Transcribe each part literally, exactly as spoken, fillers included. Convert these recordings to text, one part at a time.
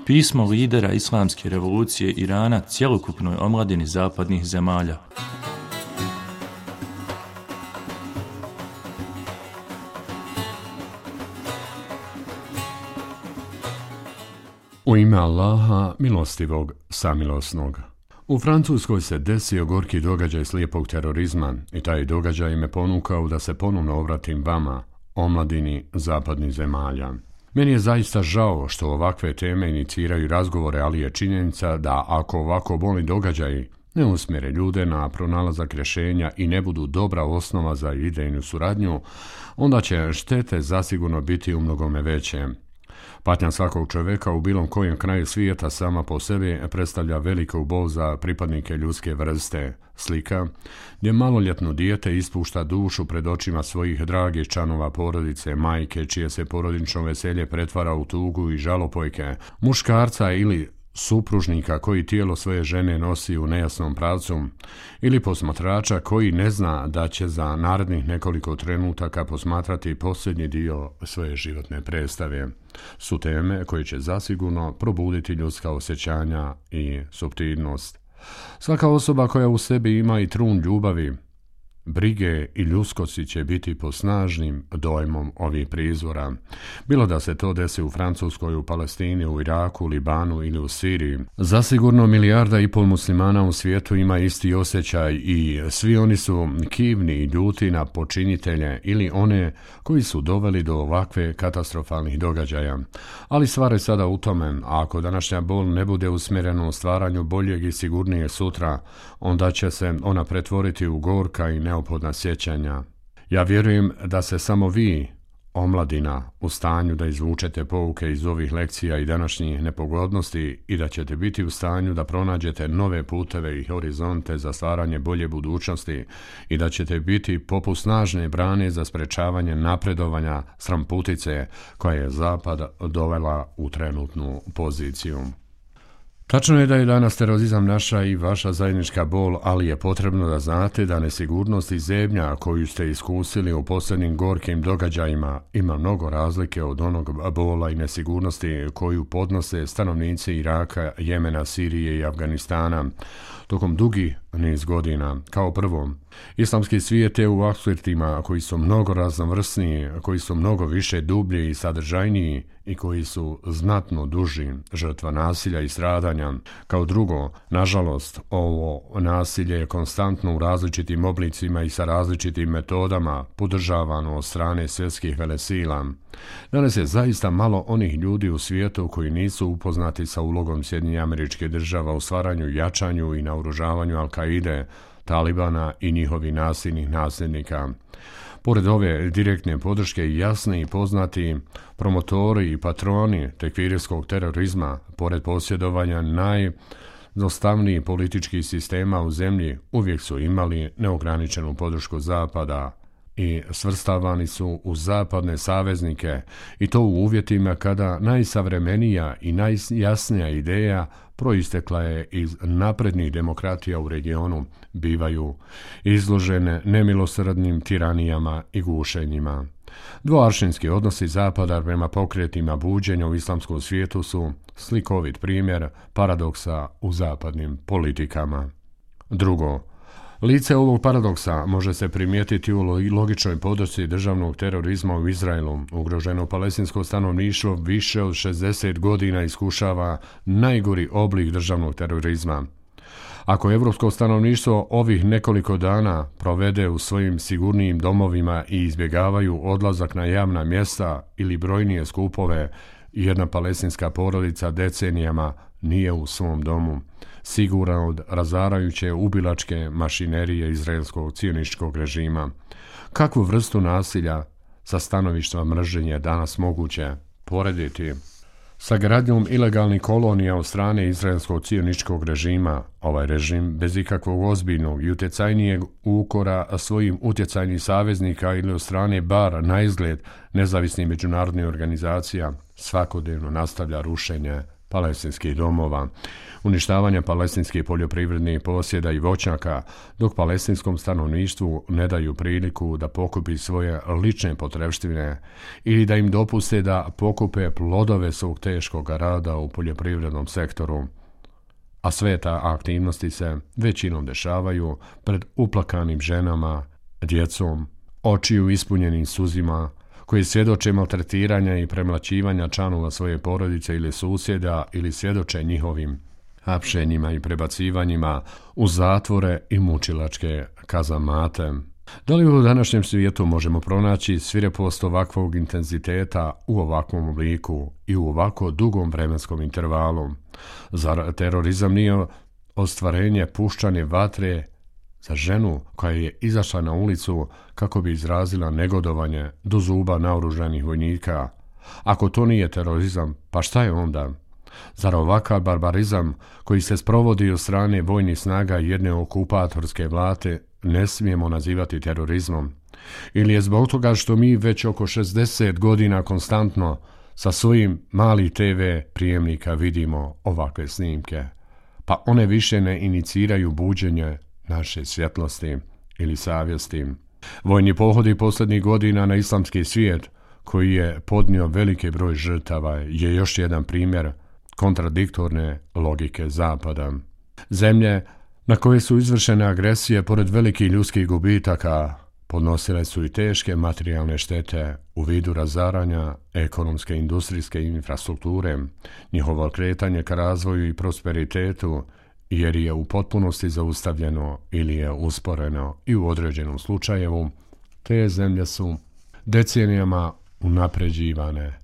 Pismo lidera islamske revolucije Irana cjelokupnoj omladini zapadnih zemalja. U ime Allaha, milostivog, samilosnog. U Francuskoj se desio gorki događaj slijepog terorizma i taj događaj me ponukao da se ponovno obratim vama, omladini zapadnih zemalja. Meni je zaista žao što ovakve teme iniciraju razgovore, ali je činjenica da ako ovako bolni događaji ne usmjere ljude na pronalazak rješenja i ne budu dobra osnova za idejnu suradnju, onda će štete zasigurno biti u mnogome veće. Patnja svakog čovjeka u bilo kojem kraju svijeta sama po sebi predstavlja veliku bol za pripadnike ljudske vrste. Slika gdje maloljetno dijete ispušta dušu pred očima svojih dragih članova porodice, majke čije se porodično veselje pretvara u tugu i žalopojke, muškarca ili supružnika koji tijelo svoje žene nosi u nejasnom pravcu, ili posmatrača koji ne zna da će za narednih nekoliko trenutaka posmatrati posljednji dio svoje životne predstave, su teme koje će zasigurno probuditi ljudska osjećanja i suptilnost. Svaka osoba koja u sebi ima i trun ljubavi, brige i ljudskosti će biti pod snažnim dojmom ovih prizora. Bilo da se to desi u Francuskoj, u Palestini, u Iraku, Libanu ili u Siriji. Zasigurno milijarda i pol muslimana u svijetu ima isti osjećaj i svi oni su kivni i ljuti na počinitelje ili one koji su doveli do ovakve katastrofalnih događaja. Ali stvar je sada u tome, a ako današnja bol ne bude usmjerena u stvaranju boljeg i sigurnijeg sutra, onda će se ona pretvoriti u gorka i neophodna sjećanja. Ja vjerujem da se samo vi, omladina, u stanju da izvučete pouke iz ovih lekcija i današnjih nepogodnosti i da ćete biti u stanju da pronađete nove puteve i horizonte za stvaranje bolje budućnosti i da ćete biti poput snažne brane za sprečavanje napredovanja sramputice koja je Zapad dovela u trenutnu poziciju. Tačno je da je danas terorizam naša i vaša zajednička bol, ali je potrebno da znate da nesigurnost i zebnja koju ste iskusili u posljednjim gorkim događajima ima mnogo razlike od onog bola i nesigurnosti koju podnose stanovnici Iraka, Jemena, Sirije i Afganistana tokom dugi niz godina. Kao prvo, islamski svijet je u aspektima koji su mnogo raznovrsniji, koji su mnogo više dublji i sadržajniji i koji su znatno duži, žrtva nasilja i stradanja. Kao drugo, nažalost, ovo nasilje je konstantno u različitim oblicima i sa različitim metodama podržavano od strane svjetskih velesila. Danas je zaista malo onih ljudi u svijetu koji nisu upoznati sa ulogom Sjedinjenih Američkih Država u stvaranju, jačanju i naoružavanju Al-Kaide, Talibana i njihovih nasilnih nasljednika. Pored ove direktne podrške jasni i poznati promotori i patroni tekfirijskog terorizma, pored posjedovanja najdostavnijih političkih sistema u zemlji, uvijek su imali neograničenu podršku Zapada i svrstavani su u zapadne saveznike i to u uvjetima kada najsavremenija i najjasnija ideja proistekla je iz naprednih demokratija u regionu, bivaju izložene nemilosrdnim tiranijama i gušenjima. Dvoaršinski odnosi Zapada prema pokretima buđenja u islamskom svijetu su slikovit primjer paradoksa u zapadnim politikama. Drugo, lice ovog paradoksa može se primijetiti u logičnoj podršci državnog terorizma u Izraelu. Ugroženo palestinsko stanovništvo više od šezdeset godina iskušava najgori oblik državnog terorizma. Ako evropsko stanovništvo ovih nekoliko dana provede u svojim sigurnijim domovima i izbjegavaju odlazak na javna mjesta ili brojnije skupove, jedna palestinska porodica decenijama nije u svom domu, siguran od razarajuće ubilačke mašinerije izraelskog cionističkog režima. Kakvu vrstu nasilja sa stanovišta mržnje je danas moguće porediti sa gradnjom ilegalnih kolonija od strane izraelskog cionističkog režima? Ovaj režim bez ikakvog ozbiljnog i utjecajnijeg ukora svojim utjecajnih saveznika ili od strane bar na izgled nezavisnih međunarodnih organizacija svakodnevno nastavlja rušenje palestinskih domova, uništavanja palestinskih poljoprivrednih posjeda i voćnjaka, dok palestinskom stanovništvu ne daju priliku da pokupi svoje lične potrepštine ili da im dopuste da pokupe plodove svog teškog rada u poljoprivrednom sektoru. A sve ta aktivnosti se većinom dešavaju pred uplakanim ženama, djecom, očiju ispunjenim suzima, koji svjedoče maltretiranja i premlaćivanja članova svoje porodice ili susjeda ili svjedoče njihovim hapšenjima i prebacivanjima u zatvore i mučilačke kazamate. Da li u današnjem svijetu možemo pronaći svirepost ovakvog intenziteta u ovakvom obliku i u ovako dugom vremenskom intervalu? Zar terorizam nije ostvarenje puščane vatre za ženu koja je izašla na ulicu kako bi izrazila negodovanje do zuba naoružanih vojnika? Ako to nije terorizam, pa šta je onda? Zar ovakav barbarizam koji se sprovodi od strane vojnih snaga jedne okupatorske vlade ne smijemo nazivati terorizmom? Ili je zbog toga što mi već oko šezdeset godina konstantno sa svojim malih te ve prijemnika vidimo ovakve snimke, pa one više ne iniciraju buđenje naše svjetlosti ili savjesti? Vojni pohodi posljednjih godina na islamski svijet, koji je podnio veliki broj žrtava, je još jedan primjer kontradiktorne logike Zapada. Zemlje na koje su izvršene agresije, pored velikih ljudskih gubitaka, podnosile su i teške materijalne štete u vidu razaranja ekonomske i industrijske infrastrukture, njihovo kretanje ka razvoju i prosperitetu, jer je u potpunosti zaustavljeno ili je usporeno i u određenom slučajevu, te zemlje su decenijama unapređivane.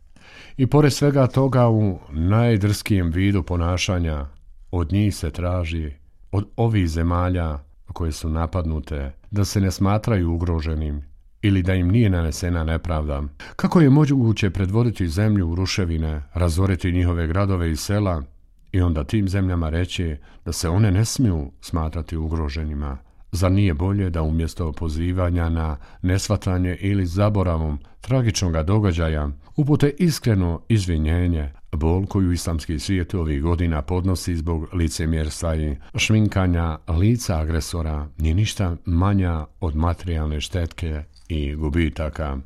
I pored svega toga u najdrskijem vidu ponašanja od njih se traži, od ovih zemalja koje su napadnute, da se ne smatraju ugroženim ili da im nije nanesena nepravda. Kako je moguće predvoditi zemlju u ruševine, razoriti njihove gradove i sela i onda tim zemljama reći da se one ne smiju smatrati ugroženima? Zar nije bolje da umjesto pozivanja na nesvatanje ili zaboravom tragičnog događaja upute iskreno izvinjenje? Bol koju islamski svijet ovih godina podnosi zbog licemjerstva i šminkanja lica agresora nije ništa manja od materijalne štetke i gubitaka.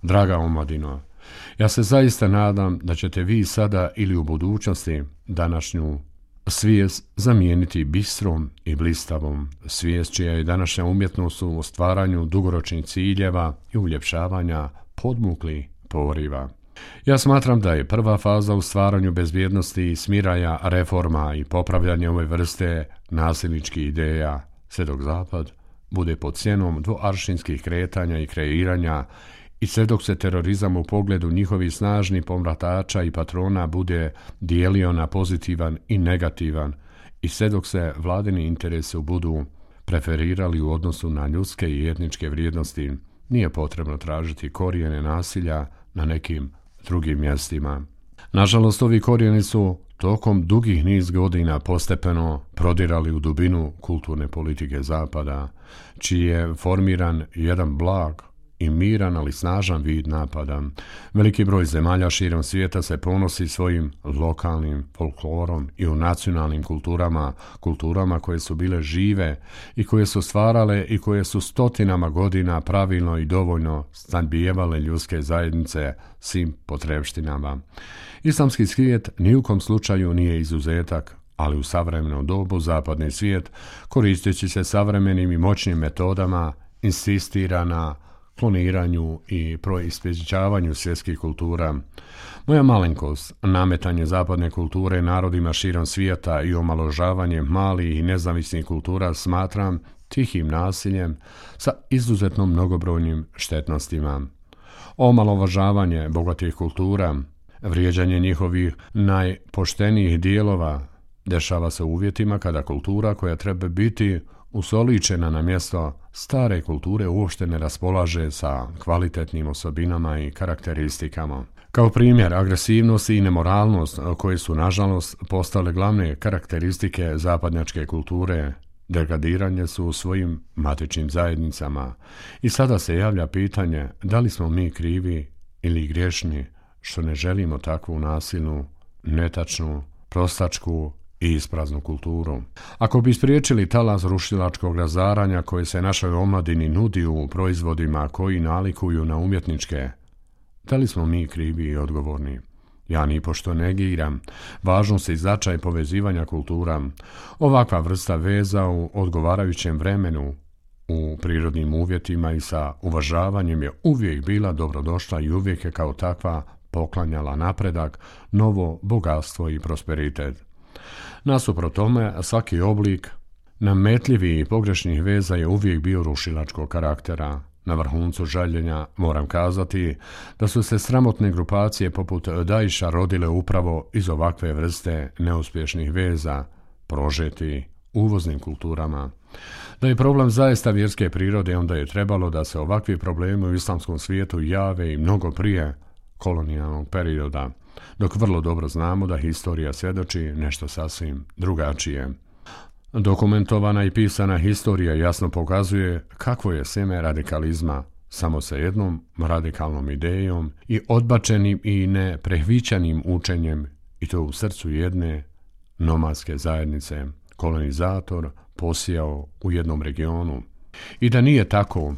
Draga omladino, ja se zaista nadam da ćete vi sada ili u budućnosti današnju svijest zamijeniti bistrom i blistavom, svijest čija je današnja umjetnost u stvaranju dugoročnih ciljeva i uljepšavanja podmukli poriva. Ja smatram da je prva faza u stvaranju bezbjednosti i smiraja reforma i popravljanja ove vrste nasilničkih ideja, sve dok Zapad bude pod cijenom dvoaršinskih kretanja i kreiranja i sve dok se terorizam u pogledu njihovih snažnih pomratača i patrona bude dijelio na pozitivan i negativan i sve dok se vladini interesi budu preferirali u odnosu na ljudske i etničke vrijednosti, nije potrebno tražiti korijene nasilja na nekim drugim mjestima. Nažalost, ovi korijeni su tokom dugih niz godina postepeno prodirali u dubinu kulturne politike Zapada, čiji je formiran jedan blag i miran, ali snažan vid napada. Veliki broj zemalja širom svijeta se ponosi svojim lokalnim folklorom i u nacionalnim kulturama, kulturama koje su bile žive i koje su stvarale i koje su stotinama godina pravilno i dovoljno snabdijevale ljudske zajednice svim potrebštinama. Islamski svijet ni u kom slučaju nije izuzetak, ali u savremenom dobu zapadni svijet, koristeći se savremenim i moćnim metodama, insistira na kloniranju i proispečavanju svjetskih kultura. Moja malenkost, nametanje zapadne kulture narodima širom svijeta i omaložavanje malih i nezavisnih kultura smatram tihim nasiljem sa izuzetno mnogobrojnim štetnostima. Omalovažavanje bogatih kultura, vrijeđanje njihovih najpoštenijih dijelova dešava se u uvjetima kada kultura koja treba biti usoličena na mjesto stare kulture uopšte ne raspolaže sa kvalitetnim osobinama i karakteristikama. Kao primjer, agresivnost i nemoralnost koje su nažalost postale glavne karakteristike zapadnjačke kulture, degradiranje su u svojim matičnim zajednicama i sada se javlja pitanje da li smo mi krivi ili griješni što ne želimo takvu nasilnu, netačnu, prostačku i ispraznu kulturu. Ako bi spriječili talas rušilačkog razaranja koje se našoj omladini nudi u proizvodima koji nalikuju na umjetničke, da li smo mi krivi i odgovorni? Ja nipošto negiram važnost i značaj povezivanja kultura. Ovakva vrsta veza u odgovarajućem vremenu, u prirodnim uvjetima i sa uvažavanjem je uvijek bila dobrodošla i uvijek je kao takva poklanjala napredak, novo bogatstvo i prosperitet. Nasuprot tome, svaki oblik nametljivih i pogrešnih veza je uvijek bio rušilačkog karaktera. Na vrhuncu žaljenja moram kazati da su se sramotne grupacije poput Daesha rodile upravo iz ovakve vrste neuspješnih veza, prožeti uvoznim kulturama. Da je problem zaista vjerske prirode, onda je trebalo da se ovakvi problemi u islamskom svijetu jave i mnogo prije kolonijalnog perioda, dok vrlo dobro znamo da historija svjedoči nešto sasvim drugačije. Dokumentovana i pisana historija jasno pokazuje kakvo je sjeme radikalizma, samo sa jednom radikalnom idejom i odbačenim i neprehvićanim učenjem, i to u srcu jedne nomadske zajednice, kolonizator posijao u jednom regionu. I da nije tako,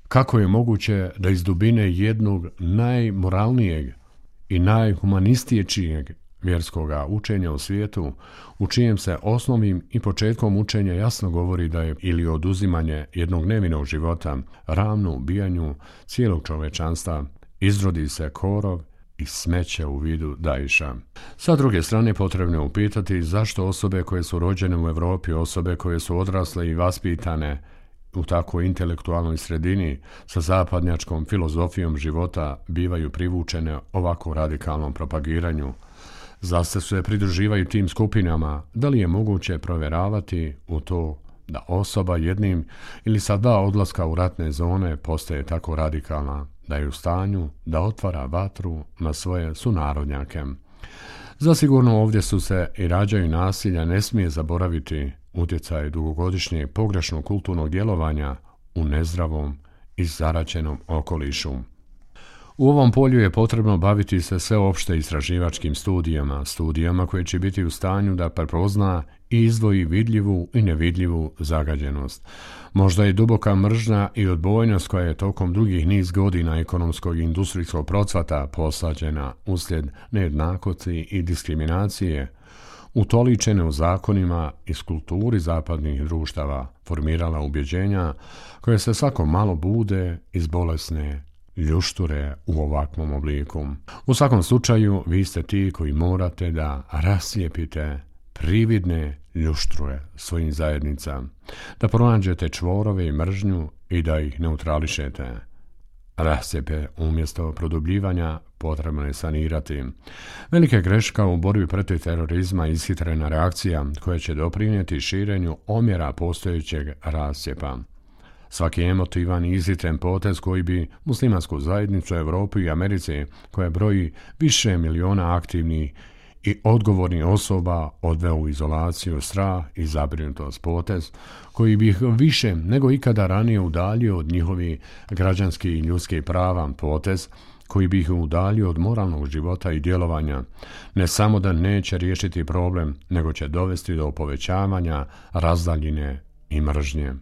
kako je moguće da iz dubine jednog najmoralnijeg i najhumanistiječijeg vjerskoga učenja u svijetu, u čijem se osnovnim i početkom učenja jasno govori da je ili oduzimanje jednog nevinog života, ravno ubijanju cijelog čovečanstva, izrodi se korov i smeće u vidu Daesha. Sa druge strane, potrebno je upitati zašto osobe koje su rođene u Europi, osobe koje su odrasle i vaspitane u tako intelektualnoj sredini sa zapadnjačkom filozofijom života bivaju privučene ovako radikalnom propagiranju. Zašto se pridruživaju tim skupinama? Da li je moguće provjeravati u to da osoba jednim ili sa dva odlaska u ratne zone postaje tako radikalna da je u stanju da otvara vatru na svoje sunarodnjake? Zasigurno ovdje su se i rađaju nasilja, ne smije zaboraviti utjecaj dugogodišnjeg pogrešnog kulturnog djelovanja u nezdravom i zaraćenom okolišu. U ovom polju je potrebno baviti se sveopšte istraživačkim studijama, studijama koje će biti u stanju da prepozna i izdvoji vidljivu i nevidljivu zagađenost. Možda je duboka mržnja i odbojnost koja je tokom dugih niz godina ekonomskog i industrijskog procvata posađena uslijed nejednakosti i diskriminacije, utoličene u zakonima i kulturi zapadnih društava, formirala ubjeđenja koje se svako malo bude iz bolesne ljušture u ovakvom obliku. U svakom slučaju, vi ste ti koji morate da raslijepite prividne ljušture svojim zajednica, da pronađete čvorove i mržnju i da ih neutrališete. Rascijepe umjesto produbljivanja potrebno je sanirati. Velika greška u borbi protiv terorizma i ishitrena reakcija koja će doprinijeti širenju omjera postojećeg rascijepa. Svaki emotivan i ishitren potez koji bi muslimansku zajednicu u Europi i Americi, koja broji više miliona aktivnih i odgovornih osoba, odveo u izolaciju, strah i zabrinutost, potez koji bi ih više nego ikada ranije udaljio od njihovih građanskih i ljudskih prava, potez koji bi ih udaljio od moralnog života i djelovanja, ne samo da neće riješiti problem, nego će dovesti do povećavanja razdaljine i mržnje.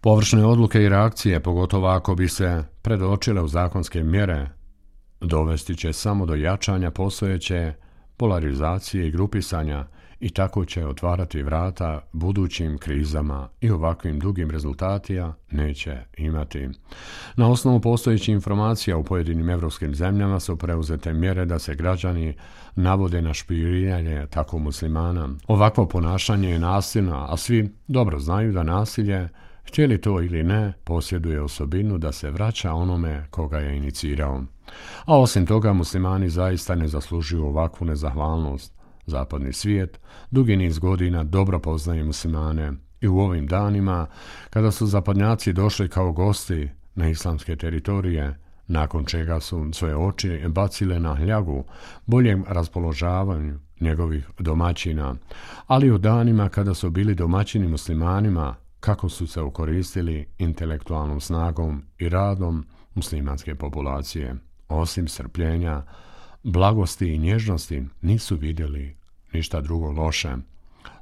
Površne odluke i reakcije, pogotovo ako bi se predočile u zakonske mjere, dovesti će samo do jačanja postojeće polarizacije i grupisanja i tako će otvarati vrata budućim krizama i ovakvim dugim rezultatima neće imati. Na osnovu postojećih informacija u pojedinim evropskim zemljama su preuzete mjere da se građani navode na špijuniranje tako muslimana. Ovakvo ponašanje je nasilno, a svi dobro znaju da nasilje, htjeli to ili ne, posjeduje osobinu da se vraća onome koga je inicirao. A osim toga, muslimani zaista ne zaslužuju ovakvu nezahvalnost. Zapadni svijet dugi niz godina dobro poznaje muslimane i u ovim danima, kada su zapadnjaci došli kao gosti na islamske teritorije, nakon čega su svoje oči bacile na hljagu boljem raspoložavanju njegovih domaćina, ali u danima kada su bili domaćini muslimanima, kako su se okoristili intelektualnom snagom i radom muslimanske populacije. Osim strpljenja, blagosti i nježnosti nisu vidjeli ništa drugo loše.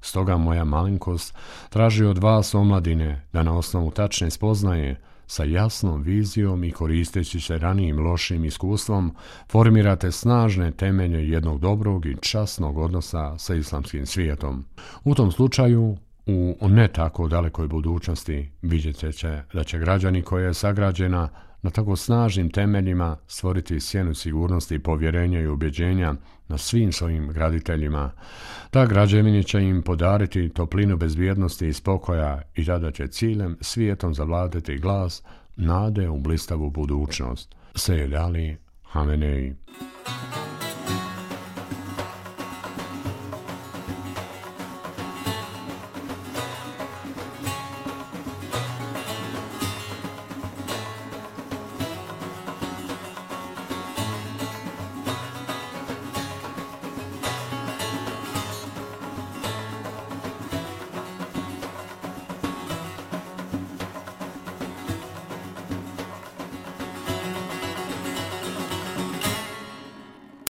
Stoga moja malenkost traži od vas, omladine, da na osnovu tačne spoznaje, sa jasnom vizijom i koristeći se ranijim lošim iskustvom, formirate snažne temelje jednog dobrog i časnog odnosa sa islamskim svijetom. U tom slučaju, u ne tako dalekoj budućnosti, vidjet će da će građani koja je sagrađena na tako snažnim temeljima stvoriti sjenu sigurnosti, povjerenja i ubjeđenja na svim svojim graditeljima. Ta građevina će im podariti toplinu bezbjednosti i spokoja i tada će ciljem svijetom zavladati glas nade u blistavu budućnost. Sejed Ali Hamenei.